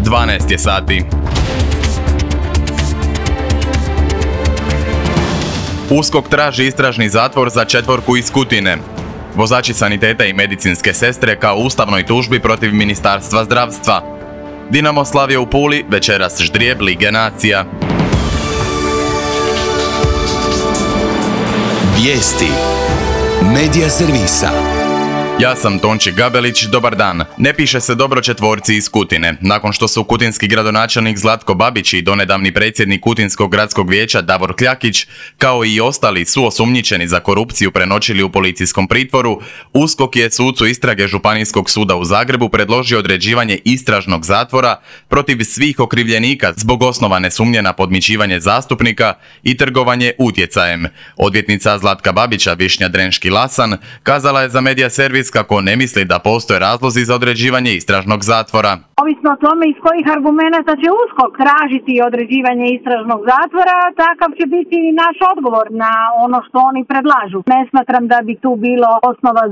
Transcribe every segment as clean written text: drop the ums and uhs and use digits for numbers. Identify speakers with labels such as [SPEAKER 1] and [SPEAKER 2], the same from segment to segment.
[SPEAKER 1] 12 je sati. USKOK traži istražni zatvor za 4 iz Kutine. Vozači saniteta i medicinske sestre kao ustavnoj tužbi protiv Ministarstva zdravstva. Dinamo slavio u Puli, večeras ždrijeb Lige nacija.
[SPEAKER 2] Vijesti Medija servisa.
[SPEAKER 1] Ja sam Tonči Gabelić, dobar dan. Ne piše se dobro 4 iz Kutine. Nakon što su kutinski gradonačelnik Zlatko Babić i donedavni predsjednik Kutinskog gradskog vijeća Davor Kljakić, kao i ostali suosumnjičeni za korupciju prenoćili u policijskom pritvoru, USKOK je sucu istrage Županijskog suda u Zagrebu predložio određivanje istražnog zatvora protiv svih okrivljenika zbog osnovane sumnje na podmićivanje zastupnika i trgovanje utjecajem. Odvjetnica Zlatka Babića Višnja Drenški-Lasan kazala je za Medija servis kako ne misli da postoje razlozi za određivanje istražnog zatvora.
[SPEAKER 3] Ovisno o tome iz kojih argumenata će USKOK tražiti određivanje istražnog zatvora, takav će biti i naš odgovor na ono što oni predlažu. Ne smatram da bi tu bilo osnova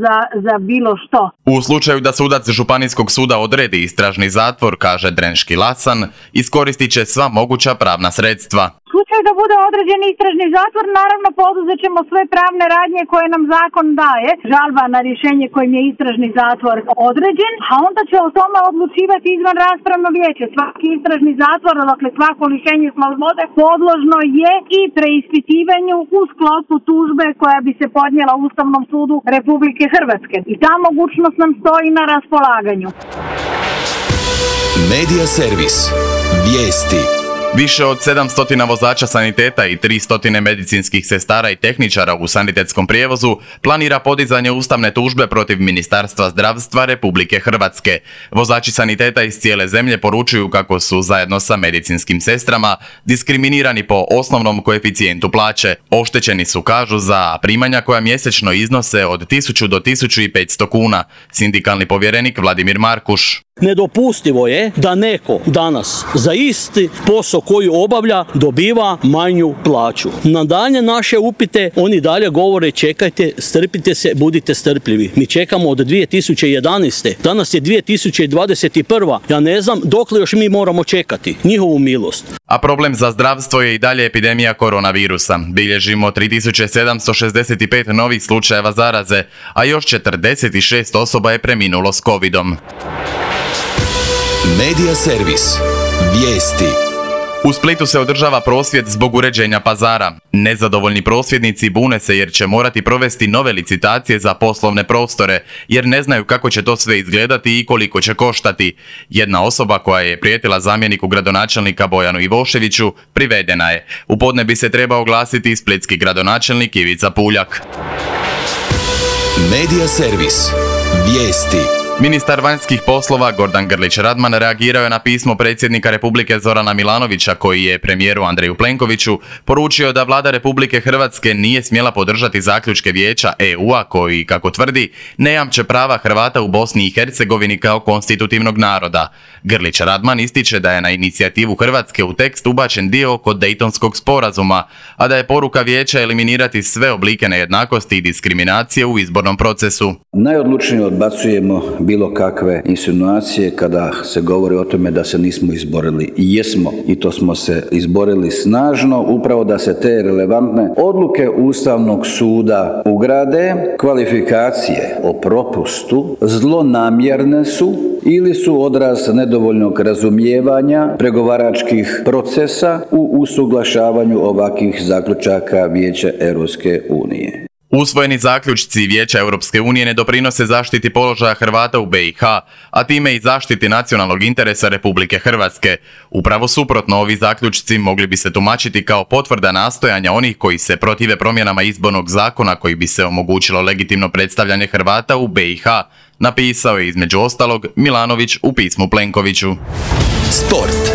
[SPEAKER 3] za bilo što.
[SPEAKER 1] U slučaju da sudac Županijskog suda odredi istražni zatvor, kaže Drenški-Lasan, iskoristit će sva moguća pravna sredstva.
[SPEAKER 3] U slučaju da bude određen istražni zatvor, naravno poduzet ćemo sve pravne radnje koje nam zakon daje. Žalba na rješenje kojim je istražni zatvor određen, a onda će o tome odlučivati izvan raspravno vijeće. Svaki istražni zatvor, dakle svako lišenje slobode, podložno je i preispitivanju u sklopu tužbe koja bi se podnijela Ustavnom sudu Republike Hrvatske. I ta mogućnost nam stoji na raspolaganju.
[SPEAKER 2] Medija servis. Vijesti.
[SPEAKER 1] Više od 700 vozača saniteta i 300 medicinskih sestara i tehničara u sanitetskom prijevozu planira podizanje ustavne tužbe protiv Ministarstva zdravstva Republike Hrvatske. Vozači saniteta iz cijele zemlje poručuju kako su zajedno sa medicinskim sestrama diskriminirani po osnovnom koeficijentu plaće. Oštećeni su, kažu, za primanja koja mjesečno iznose od 1000 do 1500 kuna. Sindikalni povjerenik Vladimir Markuš.
[SPEAKER 4] Nedopustivo je da neko danas za isti posao koji obavlja dobiva manju plaću. Na dalje naše upite oni dalje govore čekajte, strpite se, budite strpljivi. Mi čekamo od 2011. Danas je 2021. Ja ne znam dokle još mi moramo čekati njihovu milost.
[SPEAKER 1] A problem za zdravstvo je i dalje epidemija koronavirusa. Bilježimo 3765 novih slučajeva zaraze, a još 46 osoba je preminulo s covidom.
[SPEAKER 2] Medija servis. Vijesti.
[SPEAKER 1] U Splitu se održava prosvjed zbog uređenja pazara. Nezadovoljni prosvjednici bune se jer će morati provesti nove licitacije za poslovne prostore, jer ne znaju kako će to sve izgledati i koliko će koštati. Jedna osoba koja je prijetila zamjeniku gradonačelnika Bojanu Ivoševiću privedena je. U podne bi se trebao oglasiti i splitski gradonačelnik Ivica Puljak.
[SPEAKER 2] Medija servis. Vijesti.
[SPEAKER 1] Ministar vanjskih poslova Gordan Grlić Radman reagirao je na pismo predsjednika Republike Zorana Milanovića koji je premijeru Andreju Plenkoviću poručio da vlada Republike Hrvatske nije smjela podržati zaključke Vijeća EU-a koji, kako tvrdi, ne jamče prava Hrvata u Bosni i Hercegovini kao konstitutivnog naroda. Grlić Radman ističe da je na inicijativu Hrvatske u tekst ubačen dio oko Dejtonskog sporazuma, a da je poruka Vijeća eliminirati sve oblike nejednakosti i diskriminacije u izbornom procesu.
[SPEAKER 5] Najodlučnije odbacujemo bilo kakve insinuacije kada se govori o tome da se nismo izborili. Jesmo, i to smo se izborili snažno, upravo da se te relevantne odluke Ustavnog suda ugrade. Kvalifikacije o propustu zlonamjerne su ili su odraz nedovoljnog razumijevanja pregovaračkih procesa u usuglašavanju ovakvih zaključaka Vijeća Europske unije.
[SPEAKER 1] Usvojeni zaključci Vijeća Europske unije ne doprinose zaštiti položaja Hrvata u BiH, a time i zaštiti nacionalnog interesa Republike Hrvatske. Upravo suprotno, ovi zaključci mogli bi se tumačiti kao potvrda nastojanja onih koji se protive promjenama izbornog zakona koji bi se omogućilo legitimno predstavljanje Hrvata u BiH, napisao je između ostalog Milanović u pismu Plenkoviću.
[SPEAKER 2] Sport.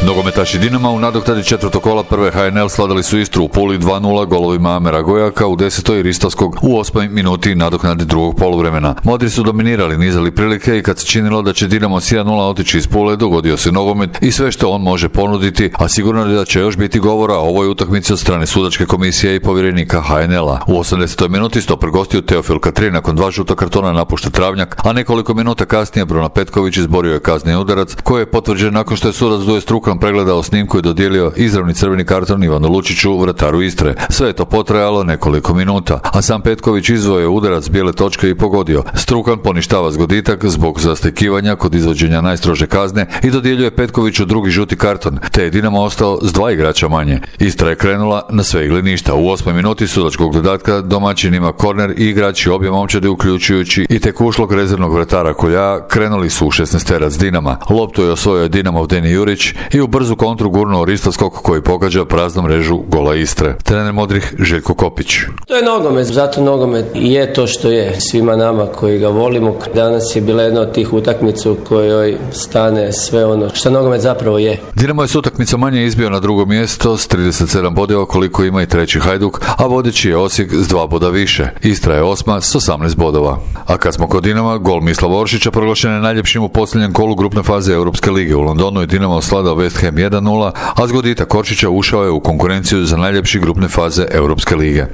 [SPEAKER 6] Nogometaši Dinama u nadoknadi četvrtog kola prve HNL sladali su Istru u Puli 2-0 golovima Amera Gojaka u 10. i Ristovskog u 8. minuti nadoknadi drugog poluvremena. Modri su dominirali, nizali prilike i kad se činilo da će Dinamo s 1-0 otići iz Pule, dogodio se nogomet i sve što on može ponuditi, a sigurno je da će još biti govora o ovoj utakmici od strane sudačke komisije i povjerenika HNL-a. U 80. minuti stoper gostiju Teofil Katrin nakon 2 žuta kartona napušta travnjak, a nekoliko minuta kasnije Bruno Petković izborio je kazni udarac koji je potvrđen nakon što je sudac Duje Strukan pregledao snimku i dodijelio izravni crveni karton Ivanu Lučiću, vrataru Istre. Sve je to potrajalo nekoliko minuta, a sam Petković izvojio udarac bijele točke i pogodio. Strukan poništava zgoditak zbog zastekivanja kod izvođenja najstrože kazne i dodjeljuje Petkoviću drugi žuti karton, te je Dinamo ostao s 2 igrača manje. Istra je krenula na sve ili ništa. U 8. minuti sudačkog dodatka domaćin ima korner i igrači obje momčadi uključujući i tek ušlog rezervnog vratara Kolja krenuli su u 16-terac Dinama. Loptu je osvojio Dinamov Deni Jurić i u brzu kontru gurnuo Ristovskog koji pogađa praznom mrežu gola Istre. Trener modrih Željko Kopić.
[SPEAKER 7] To je nogomet, zato nogomet je to što je svima nama koji ga volimo. Danas je bila jedna od tih utakmica u kojoj stane sve ono što nogomet zapravo je.
[SPEAKER 6] Dinamo je s utakmicom manje izbio na drugo mjesto s 37 bodova koliko ima i treći Hajduk, a vodeći je Osijek s 2 boda više. Istra je 8. s 18 bodova. A kad smo kod Dinama, gol Mislava Oršića proglašen je najljepšim u posljednjem kolu grupne faze Europske lige. U Londonu je Dinamo osladao West Ham 1-0, a zgoditak Oršića ušao je u konkurenciju za najljepši grupne faze Europske lige.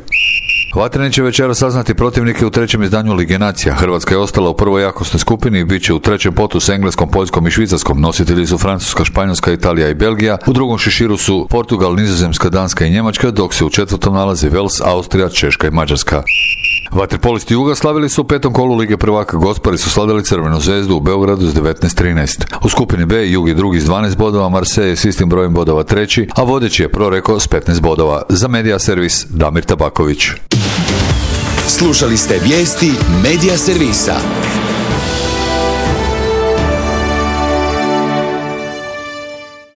[SPEAKER 6] Vatreni će večera saznati protivnike u trećem izdanju Lige nacija. Hrvatska je ostala u prvoj jakosnoj skupini i bit će u trećem potu s Engleskom, Poljskom i Švicarskom. Nositelji su Francuska, Španjolska, Italija i Belgija. U drugom šiširu su Portugal, Nizozemska, Danska i Njemačka, dok se u četvrtom nalazi Vels, Austrija, Češka i Mađarska. Vaterpolisti Juga slavili su u 5. kolu Lige prvaka. Gospari su slavili Crvenu zvezdu u Beogradu s 19-13. U skupini B Jug je drugi s 12 bodova, Marseille je s istim brojem bodova treći, a vodeći je Proreko s 15 bodova. Za Medija servis Damir Tabaković.
[SPEAKER 2] Slušali ste vijesti Medija servisa.